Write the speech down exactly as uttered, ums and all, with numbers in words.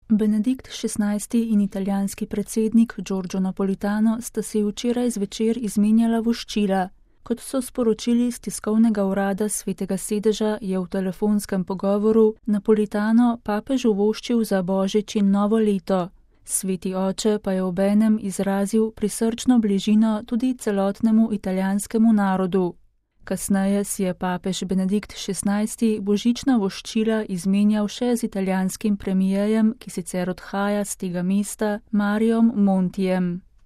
Benedikt šestnajsti in italijanski predsednik Giorgio Napolitano sta si včeraj zvečer izmenjala voščila. Kot so sporočili z tiskovnega urada Svetega sedeža, je v telefonskem pogovoru Napolitano papežu voščil za božič in novo leto. Sveti oče pa je obenem izrazil prisrčno bližino tudi celotnemu italijanskemu narodu. Kasneje si je papež Benedikt šestnajsti božična voščila izmenjal še z italijanskim premijejem, ki sicer odhaja z tega mesta, Mariom Montijem.